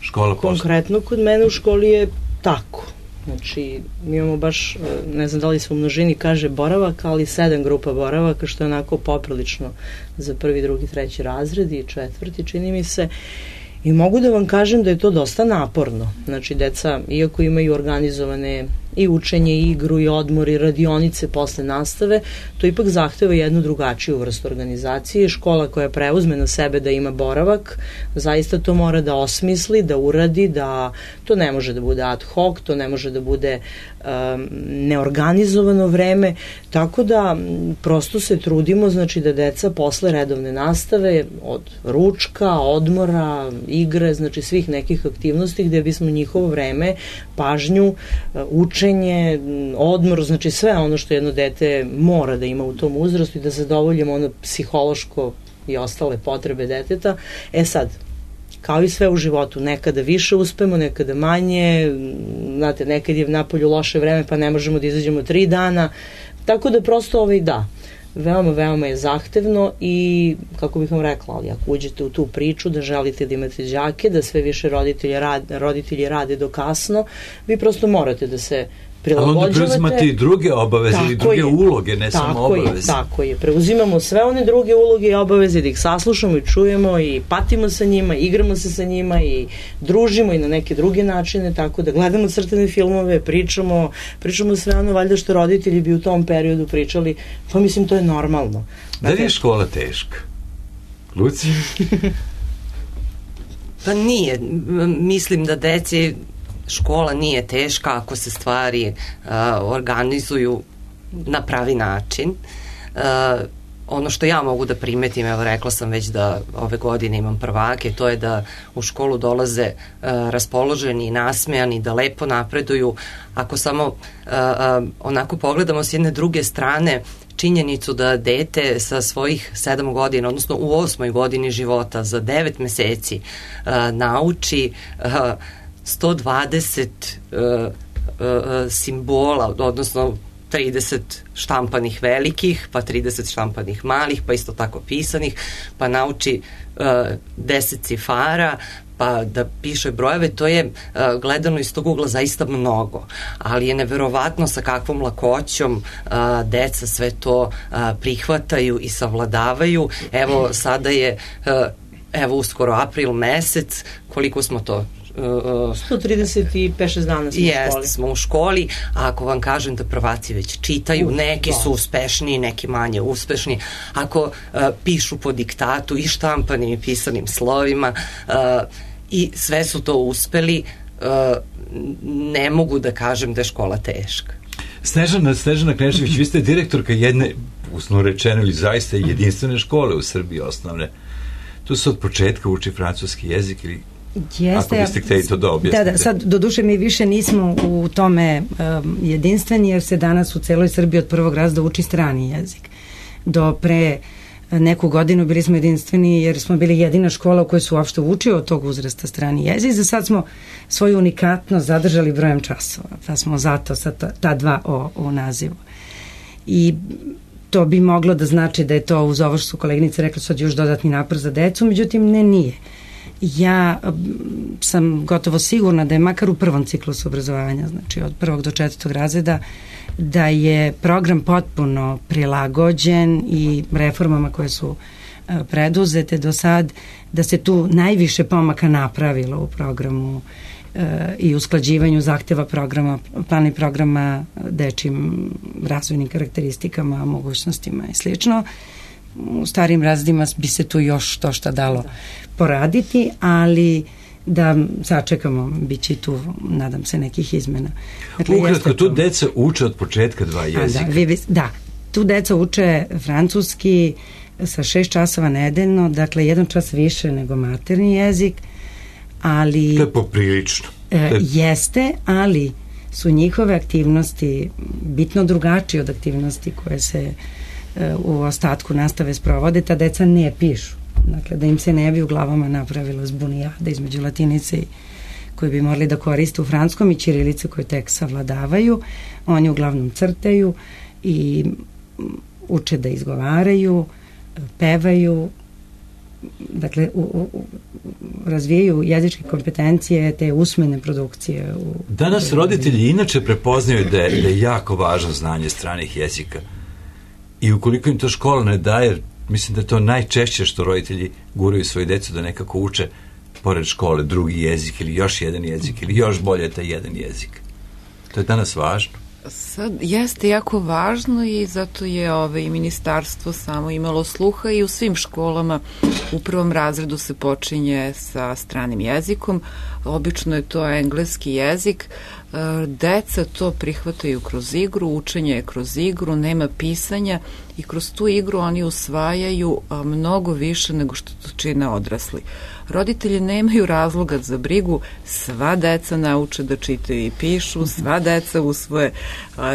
Škola Konkretno kod mene u školi je tako. Znači, mi imamo baš, ne znam da li se u množini kaže boravak, ali sedam grupa boravaka, što je onako poprilično za prvi, drugi, treći razred i četvrti, čini mi se. I mogu da vam kažem da je to dosta naporno. Znači, deca, iako imaju organizovane i učenje, i igru, i odmor, i radionice posle nastave, to ipak zahteva jednu drugačiju vrstu organizacije. Škola koja preuzme na sebe da ima boravak, zaista to mora da osmisli, da uradi, da to ne može da bude ad hoc, to ne može da bude um, neorganizovano vreme, tako da prosto se trudimo, znači da deca posle redovne nastave, od ručka, odmora, igre, znači svih nekih aktivnosti gde bismo njihovo vreme, pažnju, učenje, odmor, znači sve ono što jedno dete mora da ima u tom uzrastu i da zadovoljimo ono psihološko i ostale potrebe deteta. E sad, kao i sve u životu, nekada više uspemo, nekada manje, znate, nekad je napolju loše vreme pa ne možemo da izađemo tri dana, tako da prosto ovaj da, veoma, veoma je zahtevno i, kako bih vam rekla, ali ako uđete u tu priču da želite da imate đake, da sve više roditelji rade, roditelji rade do kasno, vi prosto morate da se prilagođavate. Ali onda preuzimate i druge obaveze ili druge je. uloge, ne tako samo obaveze. Je, tako je, preuzimamo sve one druge uloge i obaveze, da ih saslušamo i čujemo i patimo sa njima, igramo se sa njima i družimo i na neke druge načine, tako da gledamo crtane filmove, pričamo, pričamo sve ono valjda što roditelji bi u tom periodu pričali, pa mislim to je normalno. Da li je škola teška? Luci? Pa nije. Mislim da deci škola nije teška ako se stvari uh, organizuju na pravi način. Uh, ono što ja mogu da primetim, evo rekla sam već da ove godine imam prvake, to je da u školu dolaze uh, raspoloženi i nasmejani, da lepo napreduju. Ako samo uh, uh, onako pogledamo s jedne druge strane, činjenicu da dete sa svojih sedam godina, odnosno u osmoj godini života, za devet meseci uh, nauči uh, sto dvadeset uh, uh, simbola, odnosno trideset štampanih velikih, pa trideset štampanih malih, pa isto tako pisanih, pa nauči uh, deset cifara, pa da piše brojeve, to je uh, gledano iz tog ugla zaista mnogo, ali je neverovatno sa kakvom lakoćom uh, deca sve to uh, prihvataju i savladavaju. Evo, sada je uh, evo uskoro april mesec, koliko smo to Uh, sto trideset pet šest dana smo jest, u školi. smo u školi, a ako vam kažem da prvaci već čitaju, uh, neki da. su uspešniji, neki manje uspešni, ako uh, pišu po diktatu i štampanim i pisanim slovima uh, i sve su to uspeli, uh, ne mogu da kažem da je škola teška. Snežana, Snežana Knešević, vi ste direktorka jedne, usno rečeno, ili zaista jedinstvene škole u Srbiji osnovne. Tu se od početka uči francuski jezik ili Jeste, ako biste htjeli to da objasnite. Da, da, sad do duše mi više nismo u tome um, jedinstveni, jer se danas u celoj Srbiji od prvog razreda uči strani jezik. Do pre neku godinu bili smo jedinstveni jer smo bili jedina škola u kojoj su uopšte učio od tog uzrasta strani jezik. Za sad smo svoju unikatnost zadržali brojem časova, pa smo zato sa ta, ta dva o, o nazivu. I to bi moglo da znači da je to, uz ovo što su koleginice rekli, sad još dodatni napor za decu, međutim ne, nije. Ja sam gotovo sigurna da je makar u prvom ciklusu obrazovanja, znači od prvog do četvrtog razreda, da je program potpuno prilagođen i reformama koje su preduzete do sad, da se tu najviše pomaka napravilo u programu i usklađivanju zahteva programa, plana i programa dečjim razvojnim karakteristikama, mogućnostima i slično. U starim razredima bi se tu još to šta dalo poraditi, ali da sačekamo, bit će tu, nadam se, nekih izmena. Dakle, ukratko, tu deca uče od početka dva jezika. Da, vi, da, tu deca uče francuski sa šest časova nedeljno, dakle jedan čas više nego maternji jezik, ali... To je poprilično. E, jeste, ali su njihove aktivnosti bitno drugačije od aktivnosti koje se e, u ostatku nastave sprovode. Ta deca ne pišu. Dakle, da im se ne bi u glavama napravila zbunijada između latinice koju bi morali da koriste u francuskom i ćirilice koje tek savladavaju. Oni uglavnom crtaju i uče da izgovaraju, pevaju, dakle u, u, razvijaju jezičke kompetencije, te usmene produkcije. U, Danas roditelji inače prepoznaju da je, da je jako važno znanje stranih jezika i ukoliko im to škola ne daje, mislim da je to najčešće što roditelji guraju svoju decu da nekako uče pored škole drugi jezik ili još jedan jezik ili još bolje taj jedan jezik. To je danas važno. Sad jeste jako važno i zato je ove, i ministarstvo samo imalo sluha i u svim školama u prvom razredu se počinje sa stranim jezikom. Obično je to engleski jezik. Deca to prihvataju kroz igru, učenje je kroz igru, nema pisanja i kroz tu igru oni usvajaju mnogo više nego što to čine odrasli. Roditelji nemaju razloga za brigu, sva deca nauče da čitaju i pišu, sva deca usvoje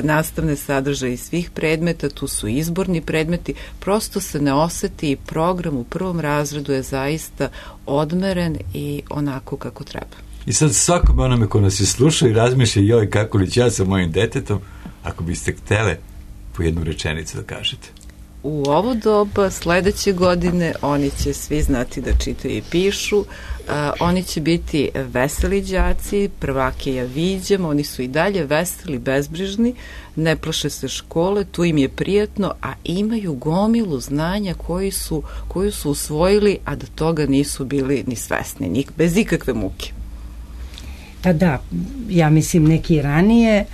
nastavne sadržaje iz svih predmeta, tu su izborni predmeti, prosto se ne oseti i program u prvom razredu je zaista odmeren i onako kako treba. I sad svakome onome ko nas je slušao i razmišlja joj kako li ću ja sa mojim detetom, ako biste htele po jednu rečenicu da kažete. U ovo doba sledeće godine oni će svi znati da čitaju i pišu, uh, oni će biti veseli đaci, prvake ja viđam, oni su i dalje veseli, bezbrižni, ne plaše se škole, tu im je prijatno, a imaju gomilu znanja koji su, koju su usvojili, a da toga nisu bili ni svesni, ni, bez ikakve muke. Pa da, ja mislim neki ranije,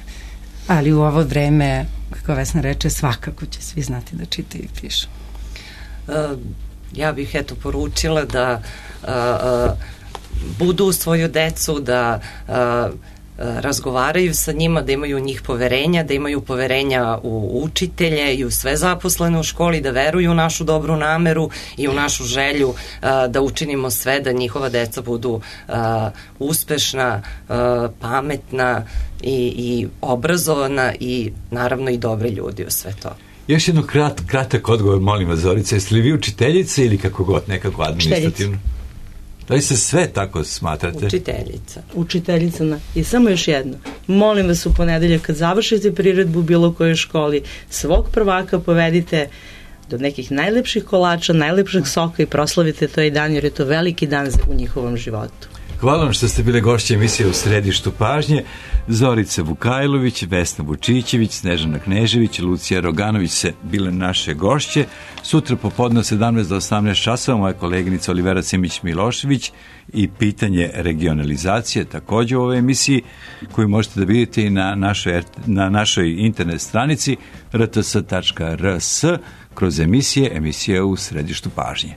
ali u ovo vreme, kako Vesna reče, svakako će svi znati da čitaju i pišu. Uh, ja bih eto poručila da uh, uh, budu u svoju decu, da uh, razgovaraju sa njima, da imaju u njih poverenja, da imaju poverenja u učitelje i u sve zaposlene u školi, da veruju u našu dobru nameru i u našu želju uh, da učinimo sve da njihova deca budu uh, uspešna, uh, pametna i, i obrazovana i naravno i dobri ljudi u sve to. Još jedno krat, kratak odgovor, molim vas, Zorica, jeste li vi učiteljica ili kako god, nekako administrativno? Da li se sve tako smatrate? Učiteljica. Učiteljica, na. I samo još jedno. Molim vas u ponedeljak kad završite priredbu u bilo kojoj školi, svog prvaka povedite do nekih najlepših kolača, najlepšeg soka i proslavite to i dan, jer je to veliki dan u njihovom životu. Hvala vam što ste bile gošće emisije U središtu pažnje. Zorica Vukajlović, Vesna Vučićević, Snežana Knežević, Lucija Roganović se bile naše gošće. Sutra popodne od sedamnaest do osamnaest časova moja koleginica Olivera Simić-Milošević i pitanje regionalizacije takođe u ovoj emisiji koju možete da vidite i na našoj, na našoj internet stranici r t s tačka r s kroz emisije, emisije U središtu pažnje.